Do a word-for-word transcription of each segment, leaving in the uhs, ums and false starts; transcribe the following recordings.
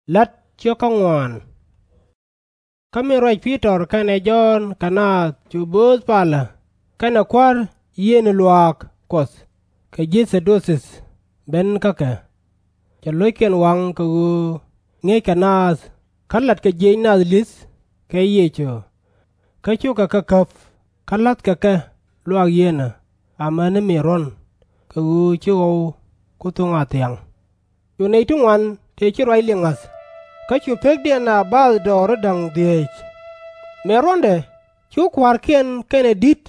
La̱t ciök kä ŋuaan. Kä min ruac Pi-tɔr kɛnɛ Jɔ̱ɔ̱n kɛ naath cu bööth palä kɛnɛ kua̱r yiëëni luaak Kuɔth kɛ ji̱ Thɛ-du-thith ben kä kɛ, cɛ lo̱ckiɛn waŋ kɛ ɣöö ŋi̱eeckɛ naath kä latkɛ jiëc nath li̱th kɛ Yecu. Kä cukɛ kɛ käp kä la̱thkɛ kɛ luaak yieenä amäni mëë ruɔ̱n, kɛ ɣöö ci ɣɔw ku thuŋ a thiaŋ. Cu nɛy ti ŋuan tëë ci ruac liŋ ŋa̱th, kä cu pekdiɛn a bathdɔɔri da̱ŋ dhieec. Mëë ruɔ̱ndɛ, cu kua̱rkiɛn kɛnɛ di̱t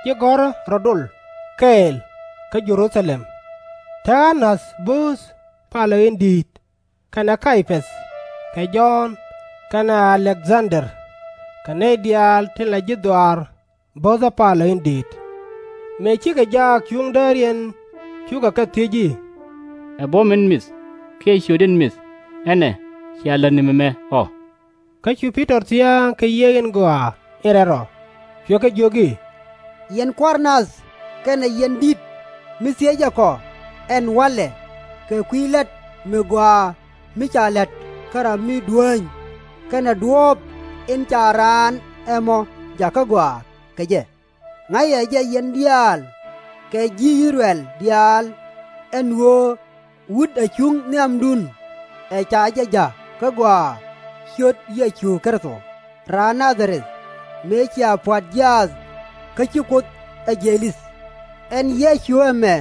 ji̱ gɔ̱rä rɔ̱ dol kɛɛl kä Jɛ-ru-tha-lɛm. Te Ɣa-nath bööth palä in di̱i̱t, kɛnɛ Kay-päth, kɛ Jɔ̱ɔ̱n, kɛnɛ A-lek-dhan-der, kɛ nɛy diaal tin la ji̱ dhɔaar böthä palä in di̱i̱t. Mëë cikɛ jaak cuŋ dääriɛn, cukɛ kɛ thiec i̱, Ɛ buɔ̱m in mith kiɛ ciöt in mith ɛnɛ cia lät ni mɛmɛ ɔ? Kä cu Pi-tɔr thia̱a̱ŋ kɛ Yiëë in Gɔaa in Rɛl Rɔ, cuɛ kɛ jiök i̱, Yɛn kua̱r nath kɛnɛ yɛn di̱t mi thiecɛ kɔ ɛn wa̱lɛ kɛ kui̱ la̱t mi gɔaa mi ca la̱t kä ram mi duäny kɛnɛ duɔ̱ɔ̱p in ca raan ɛmɔ jakä gɔaa kɛ jɛ. Ŋa̱cɛ jɛ yɛn diaal kɛ ji̱ I-thɛ-rɛl diaal ɛn ɣöö wut ɛ cuŋ nhiamdun ɛ ca jɛ ja̱k kä gɔaa ciöt Yecu Kritho raan Na-dha-rɛth, mëë cia pua̱t jiaath kä ci Kuoth ɛ jiɛc li̱th. Ɛn Yecu ɛmɛ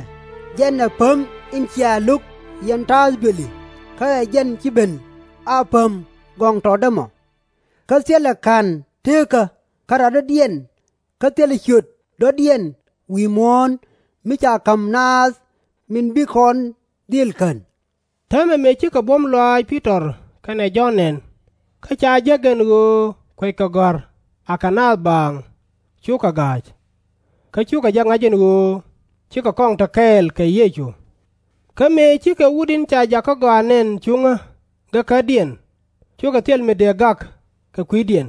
jɛn ɛ päm in cia lo̱k yɛn ta̱a̱th duëli, kä ɛ jɛn ci ben a päm gɔŋtɔtdä mɔ. Kä thilɛ ka̱n teekä kä radɔ̱diɛn kä thilɛ ciöt dɔ̱diɛn wi̱i̱ muɔ̱ɔ̱n mi ca ka̱m naath min bi kɔn dhil kän. Täämɛ mëë cikɛ buɔ̱m lɔaac Pi-tɔr kɛnɛ Jɔ̱ɔ̱n nɛn, kä ca jek ɛn ɣöö kueckɛ gɔ̱a̱r akɛ naath baaŋ, cukɛ ga̱a̱c. Kä cukɛ jɛ ŋa̱c ɛn ɣöö cikɛ kɔŋ te kɛɛl kɛ Yecu. Kä mëë cikɛ wut in ca jakä gɔaa nɛn cuŋä gekädiɛn, cukɛ thil mi dëë gak kɛ kui̱diɛn.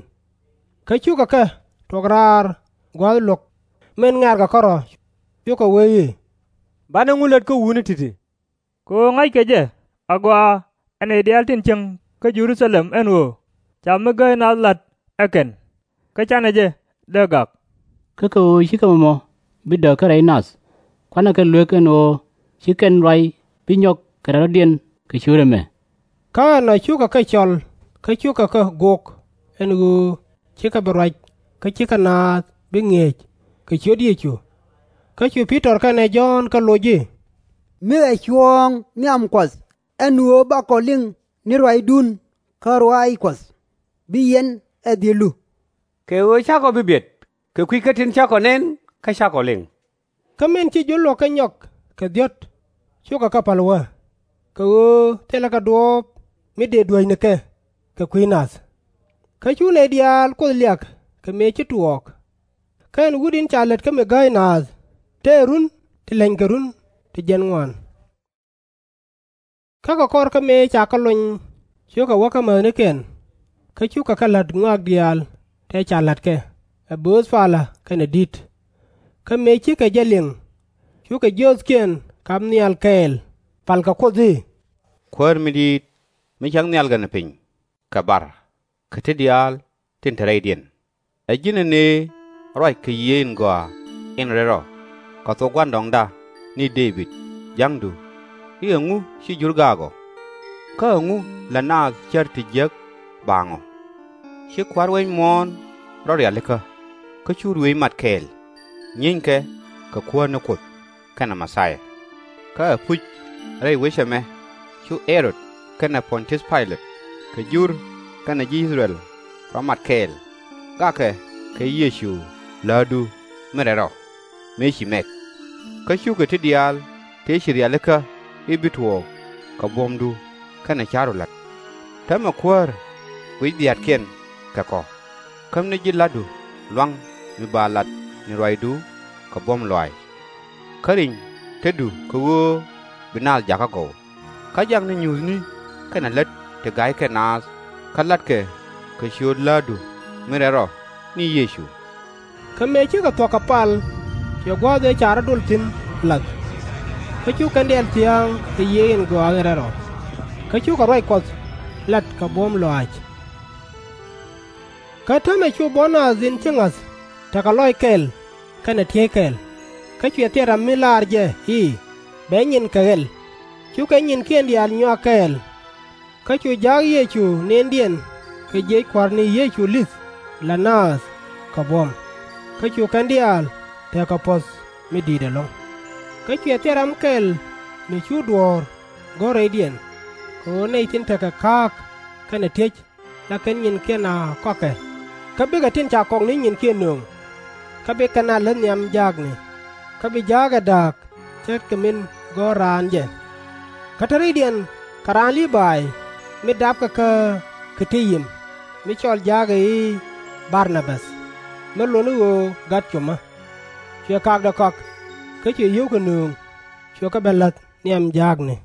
Kä cukɛ kɛ tuɔ̱k raar gua̱a̱th luɔ̱k min ŋɛ̈rkɛ kärɔ̱, cukɛ wee i̱, Banɛ ŋu lät kä wutni ti̱ti̱? Kɛ ɣöö ŋa̱ckɛ jɛ agɔaa ɛ nɛy diaal tin cieŋ kä Jɛ-ru-tha-lɛm ɛn ɣöö ca mi gääy naath la̱t ɛ kɛn, kä /canɛ jɛ dee gak. Kä kɛ ɣöö /cikɛ mɔmɔ bi dääk kä rɛy nath, kuanɛ kɛ luek ɛn ɣöö ci kɛn ruac bi nyɔk kɛ radɔ̱diɛn kɛ ciöt ɛmɛ. Kä ɛnɔ cukɛ kɛ cɔl kä cukɛ kɛ gok ɛn ɣöö /cikɛ bi ruac kä /cikɛ naath bi ŋi̱eec kɛ ciöt Yecu. Kä cu Pi-tɔr kɛnɛ Jɔ̱ɔ̱n kɛ loc i̱, Mi ɛ cuɔ̱ɔ̱ŋ nhiam Kuɔth ɛn ɣöö bakɔ liŋ ni ruacdun kä ruac Kuɔth, bi yɛn ɛ dhil lu? Kɛ ɣöö /cakɔ bi biɛt kɛ kui̱ kä tin cakɔ nɛn kä cakɔ liŋ. Kä min ci jur luɔ̱k kä nyɔk kɛ dhiɔ̱t, cukɛ kɛ pa̱l wä, kɛ ɣöö thilɛ kɛ duɔ̱ɔ̱p mi dëë duäc ni kɛ kɛ kui̱ nath. Kä cu nɛy diaal Kuoth liak kɛ mëë ci tuɔɔk. Kä ɛn wut in ca lät kä mi gääy naath tëë run ti lɛnykɛ run ti jiɛn ŋuan. Kä kɛ kɔr kä mëë ca kɛ lony, cukɛ wä kä mäthnikiɛn, kä cukɛ kɛ la̱t ŋɔak diaal tëë ca la̱tkɛ ɛ bööth palä kɛnɛ di̱t. Kä mëë cikɛ jɛ liŋ, cukɛ jiöthkiɛn kap nhial kɛɛl, palkɛ Kuoth i̱, Kuäär mi di̱i̱t, mi cak nhial gɛnɛ piny kɛ bar kɛ ti diaal tin te rɛydiɛn, ɛ ji̱n ëë ruac kɛ Yiëë in Gɔaa in Rɛl Rɔ kɛ thok gua̱ndɔɔŋda ni Dee-bid ja̱ŋdu i̱, Ɛŋu ci jur gaak ɔ? Kä ɛŋu lät naath cär ti jiäk baaŋ ɔ? Ci kua̱r wec muɔ̱ɔ̱n rɔ rialikä, kä cu ruëëc mat kɛɛl, nyieeny kɛ kɛ Kuäär ni Kuoth kɛnɛ Mɛ-thia. Kä ɛpuc rɛy wec ɛmɛ cu Ɣɛ-rod kɛnɛ Pɔn-tiäth Pay-lɛt kɛ jur kɛnɛ ji̱ I-thɛ-rɛl rɔ mat kɛɛl, gakɛ kɛ Yecu läätdu min rɛl rɔ, mëë ci mɛk. Kä cukɛ ti diaal tëë ci rialikä i̱ bi tuɔɔk kɛ buɔ̱mdu kɛnɛ ca̱ru la̱t. Täämɛ Kuäär guic dhia̱a̱tkiɛn kɛ kɔ, kämni ji̱ la̱tdu lua̱ŋ mi ba lat ni ruacdu kɛ buɔ̱m lɔaac. Kä riny tetdu kɛ ɣöö bi naath jakä gɔw, kä jakni nyuuthni kɛnɛ lät ti ga̱ykɛ naath kä la̱tkɛ kɛ ciöt läätdu min rɛl rɔ ni Yecu. Kä mëë cikɛ thuɔ̱k kɛ pal, cuɛ gua̱a̱th ëë ca rɔ̱ dol thi̱n lath. Kä cu kɛn diaal thia̱a̱ŋ kɛ Yiëë in Gɔaa in Rɛl Rɔ, kä cukɛ ruac Kuɔth lat kɛ buɔ̱m lɔaac. Kä täämɛ cu buɔ̱n naath in ci ŋa̱th tekɛ lɔc kɛl kɛnɛ tiey kɛl. Kä cuɛ thil ram mi laar jɛ i̱ bɛ nyin kɛ ɣɛl. Cukɛ nyinkiɛn diaal nyuak kɛɛl. Kä cu jaak Yecu nëndiɛn kɛ jiëc Kua̱r ni Yecu li̱th la naath kɛ buɔ̱m. Kä cu kɛn diaal tekɛ puɔ̱th mi di̱i̱t ɛlɔ̱ŋ. Kä cuɛ thil ram kɛl mi cu duɔ̱ɔ̱r go̱r rɛydiɛn, kɛ ɣöö nɛy tin tekɛ ka̱a̱k kɛnɛ tiec la kɛn nyinkiɛn a kɔakɛ. Kä bikɛ tin ca kɔk ni nyinkiɛn nööŋ. Kä bi kɛn a läth nhiam jaakni. Kä bi jaak ɛ da̱a̱k ce̱tkɛ min gɔ̱r raan jɛ. Kä te rɛydiɛn kɛ raan Lii-bay mi dapkɛ kä Ki-ti-yim, mi cɔl jaak ɛ i̱ Bar-na-bäth, mi lot ni ɣöö Gat Cumä. Cuɛ kakdɛ kɔak, kä cuɛ yio̱wkɛ nööŋ, cuɛ kɛ ben la̱th nhiam jaakni.